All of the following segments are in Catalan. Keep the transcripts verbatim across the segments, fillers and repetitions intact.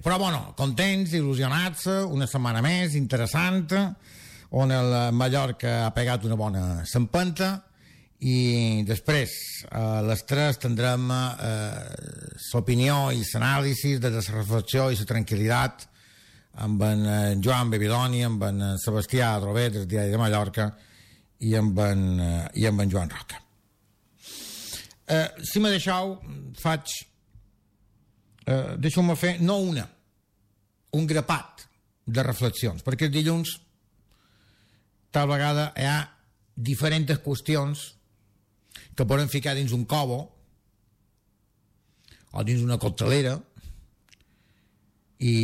però bueno, contents, il·lusionats, una setmana més interessant, on el Mallorca ha pegat una bona s'empenta, i després a les tres tindrem eh, l'opinió i l'anàlisi de la reflexió i la tranquil·litat amb en Joan Bevidoni, amb en Sebastià Adrover del Diari de Mallorca i amb en, i amb en Joan Roca. Eh, si me deixeu, faig eh, deixeu-me fer no una, un grapat de reflexions, perquè el dilluns tal vegada hi ha diferents qüestions que poden ficar dins un cobo o dins una coctelera i,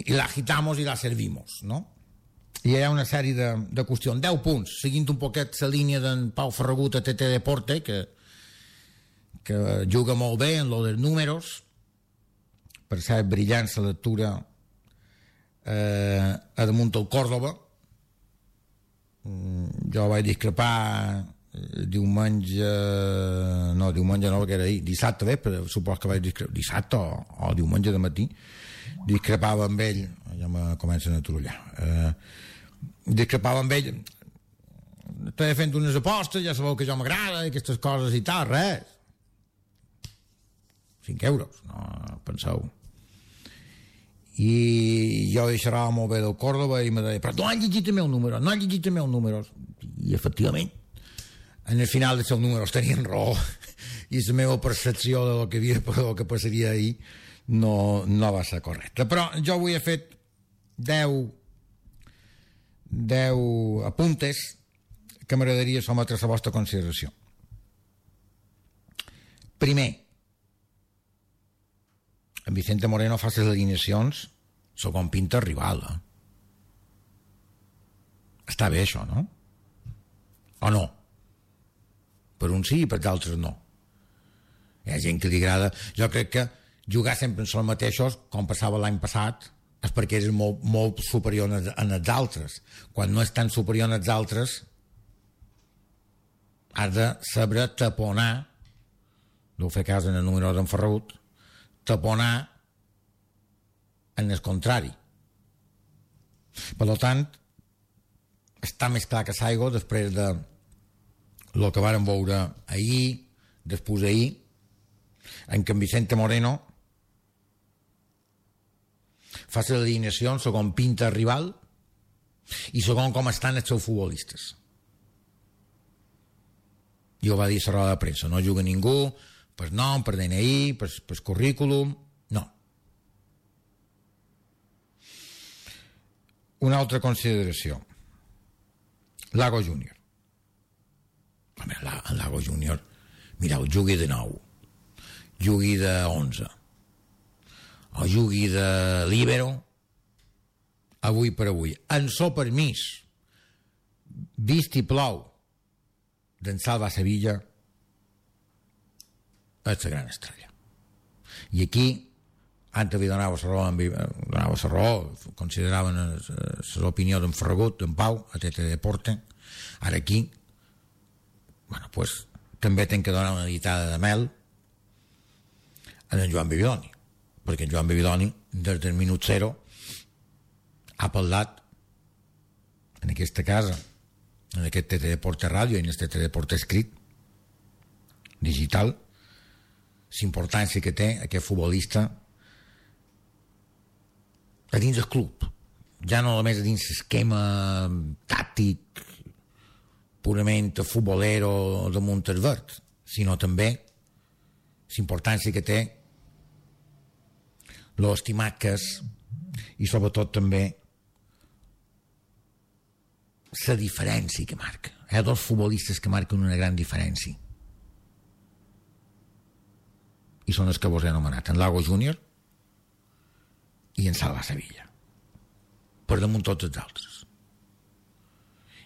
i la agitamos i la servimos, no? I hi ha una sèrie de, de qüestions, deu punts, seguint un poquet la línia d'en Pau Ferragut a T T Deporte, que, que juga molt bé en lo dels números. Per cert, brillant la lectura eh, a damunt del Córdoba. Mm, jo vaig discrepar diumenge, no, diumenge no, que era ahir, dissabte, bé, però supos que vaig discrepar, dissabte o, o diumenge de matí, discrepava amb ell, ja me comencen a trullar, eh, discrepava amb ell, estava fent unes apostes, ja sabeu que jo m'agrada, aquestes coses i tal, res, cinc euros, no penseu. I jo deixarà molt bé del Córdoba i me deia, però no han llegit el meu número, no han llegit el meu número, i efectivament en el final dels seus números tenien raó i la meva percepció de lo que, havia, de lo que passaria ahir no, no va ser correcta, però jo avui he fet deu deu apuntes que m'agradaria sometre a la vostra consideració. Primer, en Vicente Moreno fa les alineacions segons pinta rival, eh? Està bé això, no? O no? Per uns sí i per d'altres no. Hi ha gent que li agrada. Jo crec que jugar sempre en els mateixos, com passava l'any passat, és perquè eres molt, molt superior en els altres. Quan no és tan superior en els altres, has de saber taponar, deu fer cas en el número d'en Ferragut, taponar en el contrari. Per tant, està més clar que s'aigua després de el que vàrem veure ahir, després d'ahir, en què en Vicente Moreno fa les alineacions segons pinta el rival i segons com estan els seus futbolistes. I ho va dir a la roda de premsa, no juga ningú per nom, per D N I, per, per currículum, no. Una altra consideració, Lago Júnior. El Lago Júnior, mireu, jugui de nou, jugui de onze, o jugui de líbero, avui per avui, en so permís, vist i plou, d'en Salva Sevilla, és la gran estrella. I aquí, antes li donava la raó, donava la raó, consideraven l'opinió d'en Ferragut, d'en Pau, a T T Deporte, ara aquí, bueno, pues, també tenc que donar una ditada de mel a en Joan Bevidoni, perquè en Joan Bevidoni des del minut zero ha parlat en aquesta casa, en aquest T T Deporte Ràdio i en aquest T T Deporte escrit digital, l'importància que té aquest futbolista a dins del club, ja no només a dins l'esquema tàctic purament futbolero de Montesvert, sinó també l'importància que té, l'estimat que és, i sobretot també la diferència que marca. Hi ha dos futbolistes que marquen una gran diferència i són els que vos he anomenat, en Lago Júnior i en Salva Sevilla, per damunt tots els altres.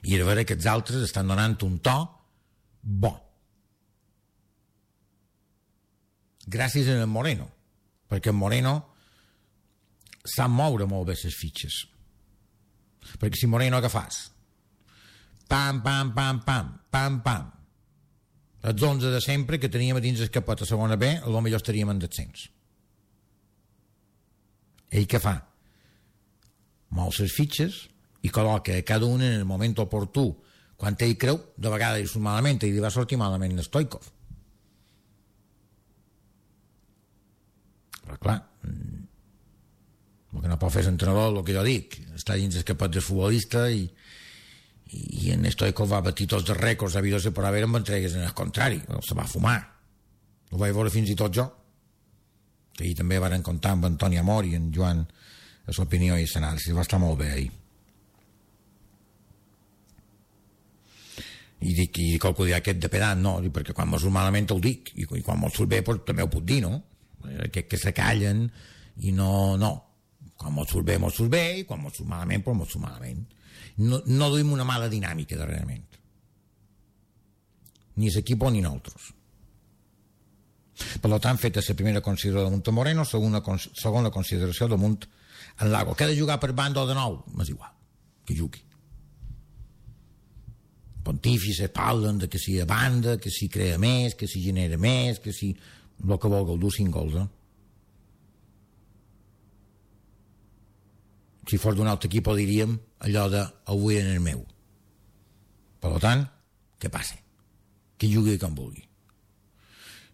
I a veure que els altres estan donant un to bo gràcies a en Moreno, perquè en Moreno sap moure molt bé les fitxes, perquè si Moreno què fas? Pam, pam, pam, pam, pam, pam, els onze de sempre que teníem a dins el capot a segona B, potser estaríem en descens. Ell què fa? Mou les fitxes i col·loca a cada un en el moment oportú. Quan ell creu, de vegades hi surt malament, i li va sortir malament el Stoikov. Però clar, el que no pot fer l'entrenador, el que jo dic, està dins el capot del futbolista i, i en Stoikov va batir tots els rècords habidos per haver amb entregues en el contrari, se va fumar. Ho vaig veure fins i tot jo, que ahir també varen comptar amb Antoni Amor i en Joan a l'opinió i l'anàlisi, va estar molt bé ahir. I dic, i qualcú dirà aquest de pedant, no, perquè quan m'ho surt malament ho dic, i quan m'ho surt bé pues, també ho puc dir, no? Aquest que se callen i no, no. Quan m'ho surt bé, m'ho surt bé, i quan m'ho surt malament, pues m'ho surt malament. No, no duim una mala dinàmica darrerament. Ni l'equip ni nosaltres. Per tant, feta la primera consideració de Munt Moreno, segona, segona consideració de Munt en Lago. Que ha de jugar per banda o de nou? M'és igual, que jugui. Pontífices parlen de que si a banda, que si crea més, que si genera més, que si el que vol dur cinc gols, eh? Si fos d'un altre equip diríem allò de avui en el meu. Per tant, què passa? Que jugui com vulgui.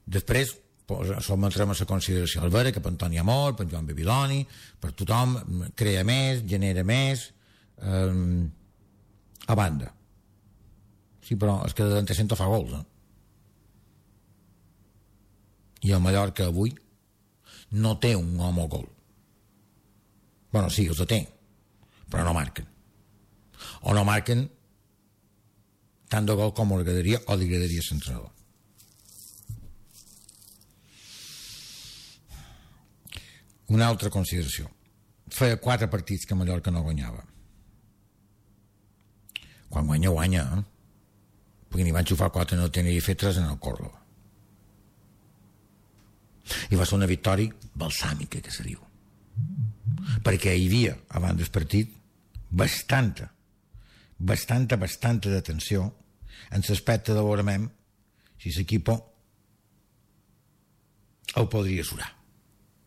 Després sotmetrem a la consideració el Vera, que per Antoni Amor, per Joan Babiloni, per tothom, crea més, genera més, eh, a banda. Sí, però és que de l'antecento fa gols, eh? I el Mallorca avui no té un home gol. Bueno, sí, els té, però no marquen. O no marquen tant de gol com li agradaria o li agradaria a l'entrenador. Una altra consideració. Feia quatre partits que Mallorca no guanyava. Quan guanya, guanya, eh? Perquè n'hi van xufar quatre, no tenia fet tres en el Córdoba. I va ser una victòria balsàmica, que se diu. Perquè hi havia, abans del partit, bastanta, bastanta, bastanta d'atenció en l'aspecte de veurem si l'equip el podria surar.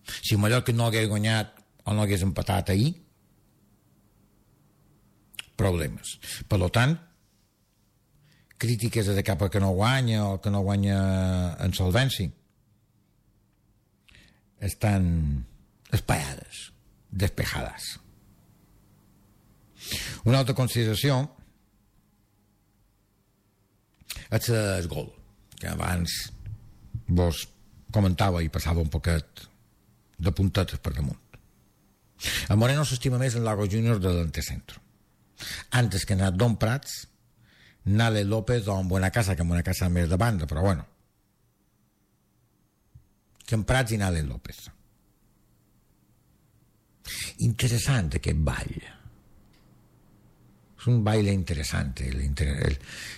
Si el Mallorca no hagués guanyat o no hagués empatat ahir, problemes. Per tant, crítiques de cap a que no guanya o que no guanya en solvència estan espaiades, despejades. Una altra consideració és el gol, que abans vos comentava i passava un poquet de puntetes per damunt. El Moreno s'estima més en Lago Junior de l'antecentro. Antes que anat Don Prats, Nale López o en Buenacasa, que en Buenacasa més de banda, però bueno. Que en Prats i Nale López. Interessant aquest ball. És un baile interessant. El, el,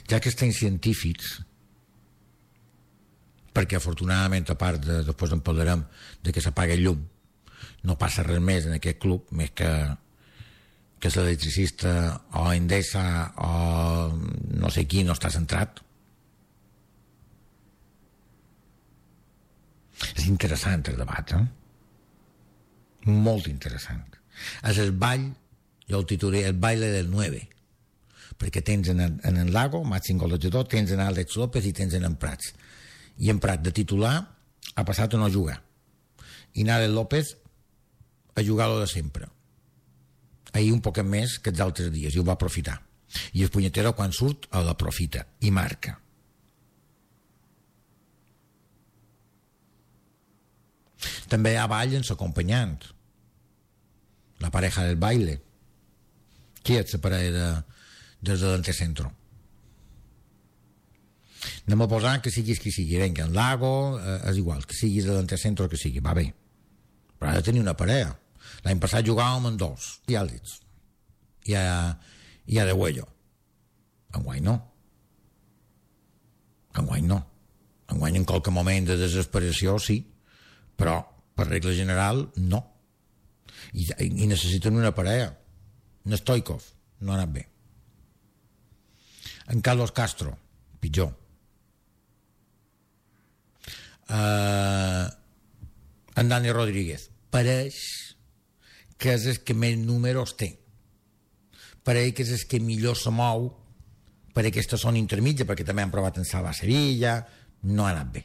ja que estem científics, perquè afortunadament, a part de, després en parlarem de que s'apaga el llum, no passa res més en aquest club, més que que l'electricista o Endesa o no sé qui no està centrat. És interessant el debat, eh? Molt interessant. És el ball, jo el titulé el baile del nueve, perquè tens en, en el Lago, màxim golejador, tens en Àlex López i tens en en Prats. I en Prats de titular ha passat a no jugar. I Àlex López a jugar-lo de sempre. Ahir un poquet més que els altres dies, i ho va aprofitar. I el punyetero, quan surt, l'aprofita i marca. També hi ha ball en l'acompanyant, la pareja del baile. Qui és la parella de, des de l'antecentro? Anem a posar que siguis qui sigui, venga, en Lago, eh, és igual, que siguis de l'antecentro que sigui, va bé. Però ha de tenir una parella. L'any passat jugàvem en dos, i àlits. I a, i a de Huello. Enguany no. Enguany no. Enguany en qualque moment de desesperació sí, però per regla general no. I, i necessiten una parella. En Stoikov no ha anat bé. En Carlos Castro, pitjor. Uh, en Dani Rodríguez pareix que és el que més números té. Per ell que és el que millor se mou per aquesta zona intermitja, perquè també han provat en salvar Sevilla, no ha anat bé.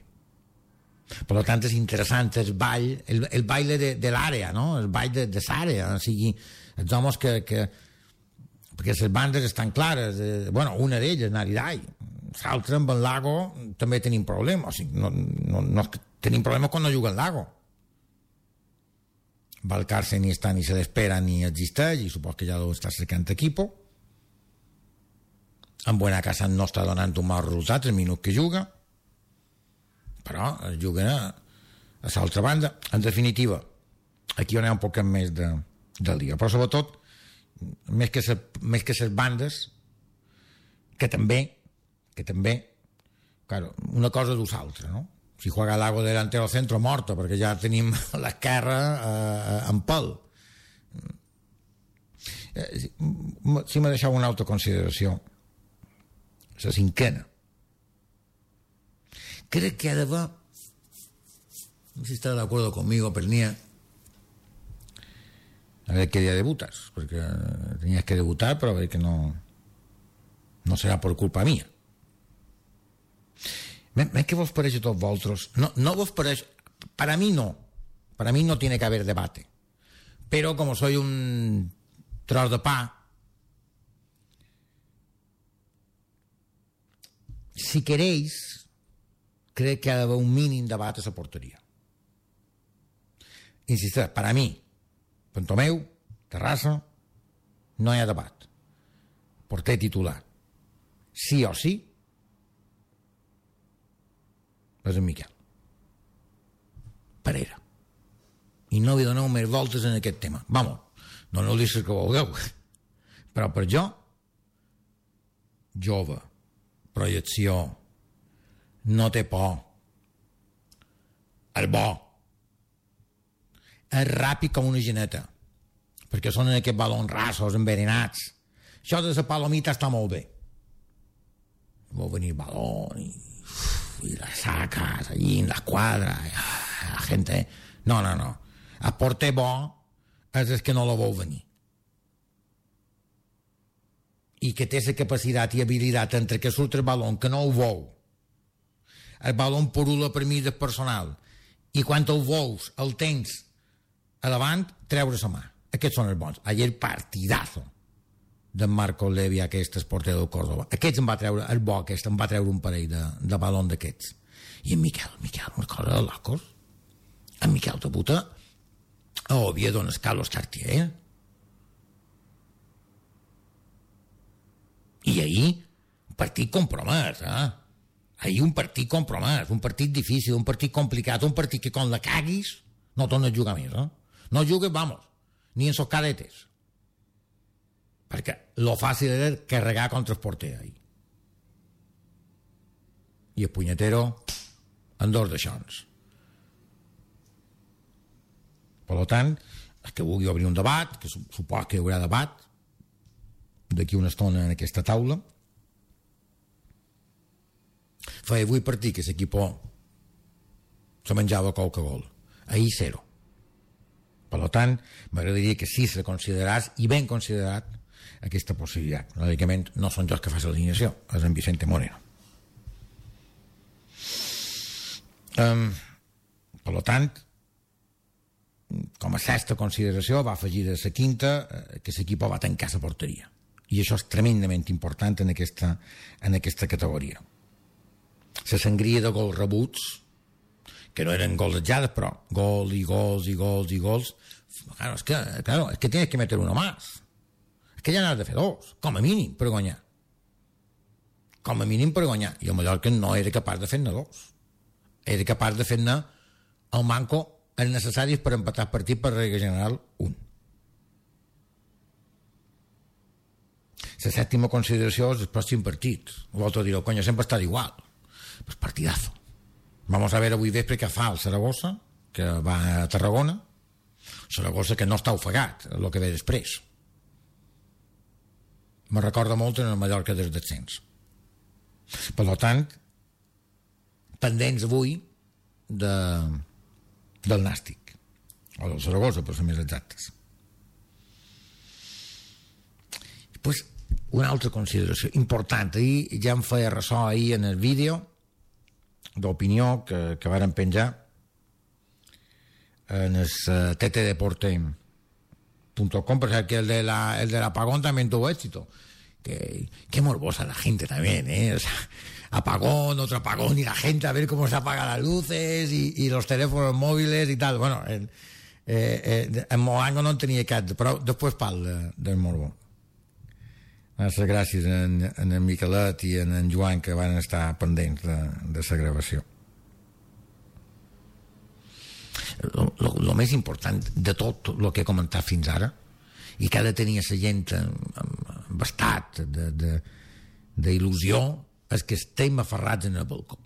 Per tant, és interessant el ball, el, el baile de, de l'àrea, no? El ball de, de l'àrea, o sigui, els homes que, que perquè les bandes estan clares, eh, bueno, una d'elles, Naridai, l'altra amb el Lago també tenim problemes, o sigui, no, no, no, tenim problemes quan no juga el Lago. Valcarce ni està ni se l'espera ni existeix i supos que ja deu estar cercant equipo. En Buena Casa no està donant un mal resultat el minut que juga, però juguen a, a l'altra banda. En definitiva, aquí on hi ha un poc més de, del dia, però sobretot més que ses, més que ses bandes que també que també claro, una cosa du l'altra, no? Si juega Lago delantero centro morto perquè ja tenim l'esquerra eh, en pèl. Eh, si, si me deixeu una altra consideració, la cinquena, crec que ha d'haver, no sé si està d'acord conmigo, Pernia, a ver qué día debutas, porque tenías que debutar, pero a ver que no no serà per culpa mía. ¿Ves que vos parece a todos vosotros? No, no vos parece, para mí no, para mí no tiene que haber debate, pero como soy un tros de pa, si queréis, creo que ha de haber un mínim debate a la portería. Insisteix, para mí, Pantomeu, Terrassa, no hi ha debat. Porter titular, sí o sí, és en Miquel Parera. I no vi doneu més voltes en aquest tema. Vamos, no no dic que vulgueu, però per jo, jove, projecció, no té por, el bo, és ràpid com una geneta, perquè són en aquests balons rassos, envenenats. Això de la palomita està molt bé. Vol venir el balón i, i la sacas allí en la esquadra, la gente... No, no, no. El porter bo és el que no la vol venir. I que té la capacitat i habilitat entre que surt el balón, que no ho vol. El balón purula per mi del personal. I quan el vols, el tens a davant, treure la mà. Aquests són els bons. Ayer partidazo d'en Marco Levi, aquest porter del Córdoba. Aquests em va treure, el bo aquest, em va treure un parell de, de balón d'aquests. I en Miquel, Miquel, una cosa de locos. En Miquel de puta a Oviedo en el Carlos Cartier. I ahir, un partit compromès, eh? Ahir un partit compromès, un partit difícil, un partit complicat, un partit que quan la caguis no tornes a jugar més, eh? No jugues, vamos, ni en sos cadetes. Perquè lo fàcil era carregar contra el porter ahir. I el punyetero en dos d'aixons. Per tant, el que vulgui obrir un debat, que supos que hi haurà debat d'aquí una estona en aquesta taula, feia vuit partits que l'equip se menjava qualque gol. Ahir zero. Per tant, m'agradaria que sí se consideràs, i ben considerat, aquesta possibilitat. Lògicament, no són jo que faig l'alineació, és en Vicente Moreno. Um, per tant, com a sexta consideració va afegir a la quinta eh, que l'equip va tancar la porteria. I això és tremendament important en aquesta, en aquesta categoria. La sangria de gols rebuts, que no eren gols atjades, però gol i gols i gols i gols, claro, és que, claro, es que tienes que meter uno más. És que ja n'has de fer dos, com a mínim, per guanyar. Com a mínim per guanyar. I el Mallorca no era capaç de fer-ne dos. Era capaç de fer-ne el manco els necessaris per empatar el partit per regla general un. La sèptima consideració és el pròxim partit. L'altre direu, coño, sempre està igual. Pues partidazo. Vamos a ver avui vespre què fa el Saragossa, que va a Tarragona. Saragossa que no està ofegat, el que ve després. Me recorda molt en el Mallorca des descens. Per tant, pendents avui de, del Nàstic, o del Saragossa, per ser més exactes. pues, una altra consideració important. Ahir ja em feia ressò ahir en el vídeo d'opinió que, que varen penjar en el uh, t t deporte punto com, per cert, que el de la, el de l'apagón también tuvo éxito. Que, qué morbosa la gente también, ¿eh? O sea, apagón, otro apagón, y la gente a ver cómo se apagan las luces y, y los teléfonos móviles y tal. Bueno, el, eh, eh, en Moango no en tenia cap, però després parla del morbo. Les gràcies en, en en Miquelet i en en Joan, que van estar pendents de, de la gravació. El més important de tot el que he comentat fins ara, i que ha de tenir la gent amb estat d'il·lusió, és que estem aferrats en el balcó.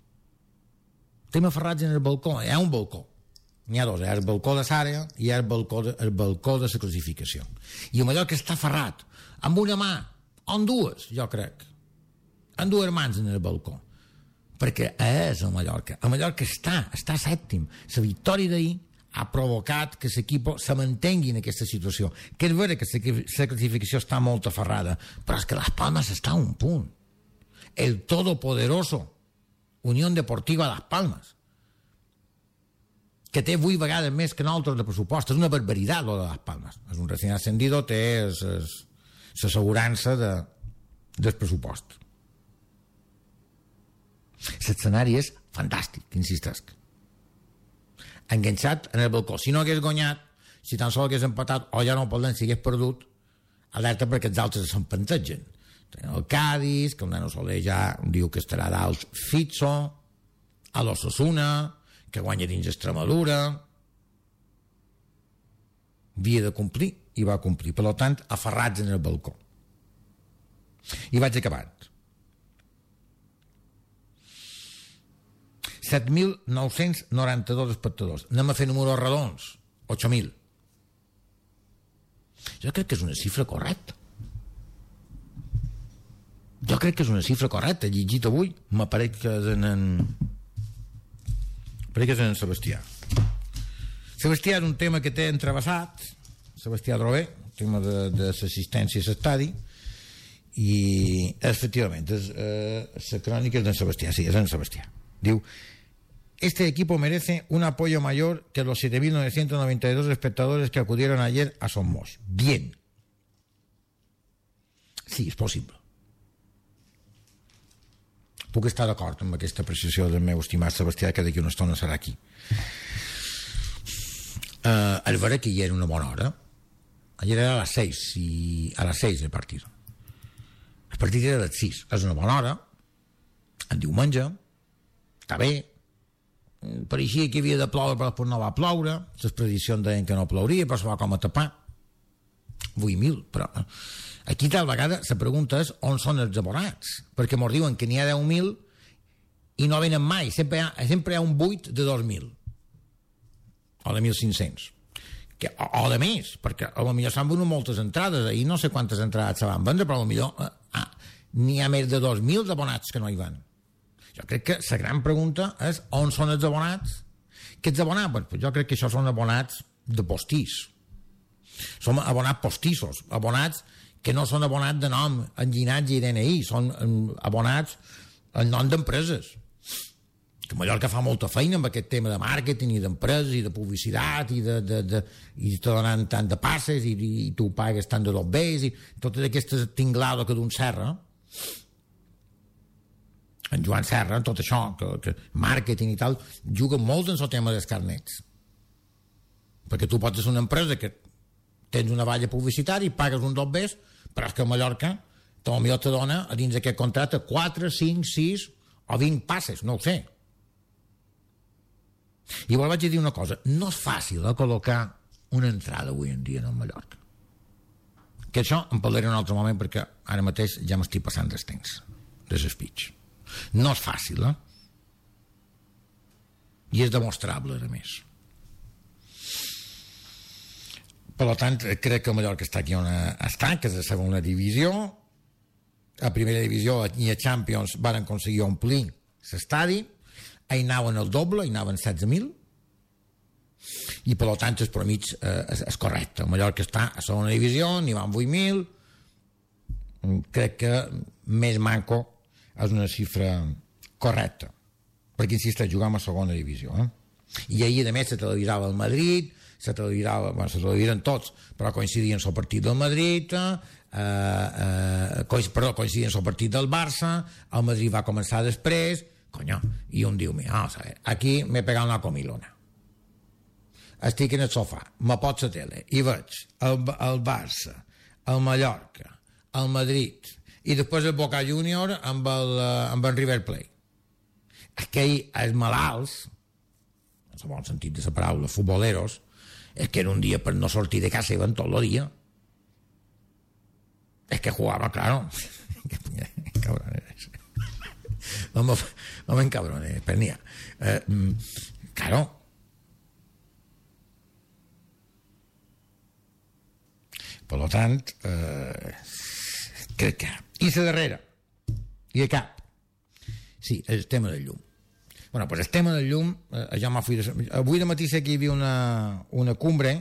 Estem aferrats en el balcó. Hi ha un balcó. N'hi ha dos. Hi ha el balcó de Sària i hi ha el balcó de, el balcó de la classificació. I amb allò que està aferrat, amb una mà, o amb dues, jo crec, amb dues mans en el balcó. Perquè és el Mallorca. El Mallorca està, està sèptim. La victòria d'ahir ha provocat que l'equip se mantengui en aquesta situació. Que és vera que la classificació està molt aferrada, però és que Las Palmas està a un punt. El todopoderoso Unión Deportiva Las Palmas, que té vuit vegades més que nosaltres de pressupost. És una barbaritat, lo de Las Palmas. És un recién ascendido, té l'assegurança de, del pressupost. L'escenari és fantàstic, insistesc. Enganxat en el balcó. Si no hagués guanyat, si tan sols hagués empatat, o ja no parlem, si hagués perdut, alerta perquè els altres s'empantegen. El Cádiz, que el nano Soler ja diu que estarà dalt Fitzo, a l'Osasuna, que guanya dins Extremadura. Havia de complir, i va complir. Per tant, aferrats en el balcó. I vaig acabant. set mil nou-cents noranta-dos espectadors. Anem a fer números redons. ocho mil. Jo crec que és una xifra correcta. Jo crec que és una xifra correcta. He llegit avui, m'apareix que és en... en... Pareix que és en Sebastià. Sebastià és un tema que té entrevessat, Sebastià Drover, el tema de, de l'assistència a l'estadi, i efectivament, és, eh, la crònica és d'en Sebastià, sí, és en Sebastià. Diu: este equipo merece un apoyo mayor que los siete mil novecientos noventa y dos espectadores que acudieron ayer a Somos. Bien. Sí, és possible. Puc estar d'acord amb aquesta apreciació del meu estimat Sebastià, que d'aquí una estona serà aquí. Uh, el vera que hi era una bona hora. Ayer era a les seis, i a les seis el partit. El partit era a les sis. És una bona hora. En diumenge. Està bé. Pareixia que havia de ploure, però no va ploure. Les prediccions deien que no plouria, però se va com a tapar. vuit mil, però... Aquí tal vegada la pregunta és on són els abonats, perquè mos diuen que n'hi ha deu mil i no venen mai, sempre hi ha, sempre hi ha un buit de dos mil o de mil cinc-cents, que, o, o de més, perquè a lo millor s'han venut moltes entrades, i no sé quantes entrades se van vendre, però a lo millor ah, n'hi ha més de dos mil abonats que no hi van. Jo crec que la gran pregunta és on són els abonats. Què ets abonat? Pues jo crec que això són abonats de postís. Som abonats postissos, abonats que no són abonats de nom, en llinatge i D N I, són abonats en nom d'empreses. Que Mallorca fa molta feina amb aquest tema de màrqueting i d'empreses i de publicitat i de, de, de, i te donen tant de passes i, i tu pagues tant de dos bés i totes aquestes tinglades que d'un Serra, en Joan Serra, en tot això, que, que màrqueting i tal, juga molt en el tema dels carnets. Perquè tu pots ser una empresa que tens una valla publicitària i pagues un dos bés, però és que a Mallorca potser te dona a dins d'aquest contracte quatre, cinc, sis o vint passes, no ho sé. I igual vaig dir una cosa, no és fàcil eh, col·locar una entrada avui en dia en Mallorca. Que això en parlaré en un altre moment, perquè ara mateix ja m'estic passant dels temps de l'espeech. No és fàcil, eh? I és demostrable, a més. Per tant, crec que el Mallorca està aquí on està, que és la segona divisió. A primera divisió i a Champions van aconseguir omplir l'estadi. Hi anaven el doble, hi anaven setze mil. I per tant, el promig eh, és, és correcte. El Mallorca està a segona divisió, n'hi van vuit mil. crec que més manco és una xifra correcta, perquè insisteix, jugàvem a segona divisió, eh? I ahir a més se televisava el Madrid, se televisava, bueno, se televisaven tots, però coincidien el partit del Madrid, eh, eh, co perdó, coincidien el partit del Barça, el Madrid va començar després, conyo, i un diu, mira, vamos a ver, aquí m'he pegat una comilona, estic en el sofà, me pot la tele i veig el, el Barça, el Mallorca, el Madrid i després el Boca Junior amb el, amb el River Plate. Aquell, els malalts, en el bon sentit de la paraula, futboleros, és que era un dia per no sortir de casa i van tot el dia. És que jugava, claro. Cabrones. No me, no me encabrones, pernía. Eh, claro. Per lo tant, eh, crec que... I la darrera. I de cap. Sí, el tema del llum. Bueno, pues el tema del llum, eh, ja m'ha fet... Avui de matí sé que hi havia una, una cumbre,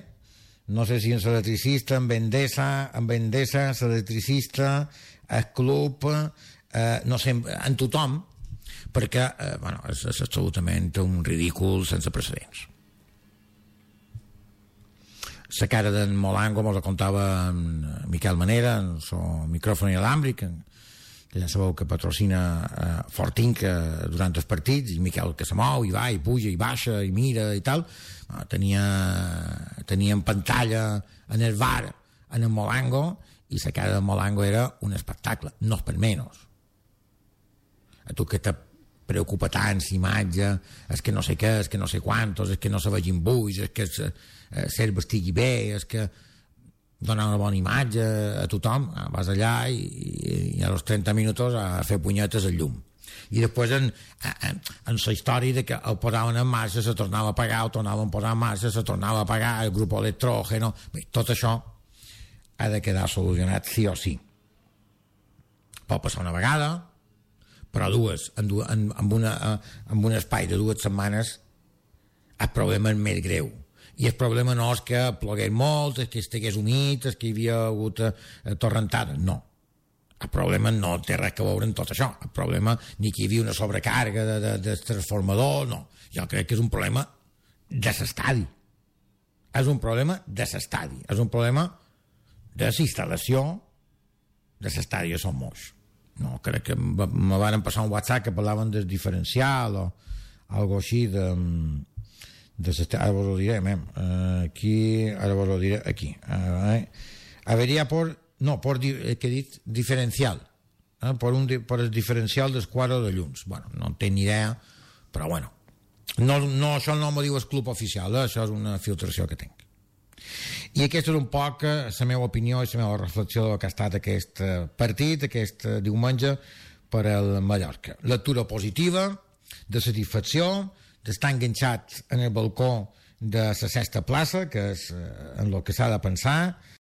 no sé si en l'electricista, en Endesa, en Endesa, l'electricista, el club, eh, no sé, en tothom, perquè, eh, bueno, és, és absolutament un ridícul sense precedents. La cara d'en Molango mos la contava en Miquel Manera, en el micròfon inalàmbric, que ja sabeu que patrocina eh, Fortinc eh, durant els partits, i Miquel que se mou i va i puja i baixa i mira i tal, eh, tenia, tenia en pantalla en el bar en el Molango, i la cara de Molango era un espectacle, no és per menys. A tu que te preocupa tant l'imatge, és que no sé què, és que no sé quantos, és que no se vegin buits, és que eh, ser estigui bé, és que donar una bona imatge a tothom, vas allà i, i a los trenta minuts a fer punyetes al llum. I després en, en, en la història de que el posaven en marxa, se tornava a apagar, el tornaven a posar en marxa, se tornava a apagar, el grup electrògeno... Bé, tot això ha de quedar solucionat sí o sí. Pot passar una vegada, però dues, en, en, en, una, en un espai de dues setmanes el problema és més greu. I el problema no és que plogués molt, és que estigués humit, és que hi havia hagut eh, torrentades, no. El problema no té res a veure amb tot això. El problema ni que hi havia una sobrecàrrega de, de, de transformador, no. Jo crec que és un problema de l'estadi. És un problema de l'estadi. És un problema de la instal·lació de l'estadi a Son Moix. No, crec que me van passar un WhatsApp que parlaven del diferencial o algo així de... de ara vos lo diré, mem. Aquí, ara vos lo diré, aquí. Eh, Avería por, no, por, eh, que he dit, diferencial. Eh, por, un, por el diferencial dels quadres de llums. Bueno, no en tinc ni idea, però bueno. No, no, això no m'ho diu el club oficial, eh? Això és una filtració que tinc. I aquesta és un poc la meva opinió i la meva reflexió del que ha estat aquest partit, aquest diumenge per al Mallorca. Lectura positiva, de satisfacció, d'estar enganxat en el balcó de la sexta plaça, que és en el que s'ha de pensar,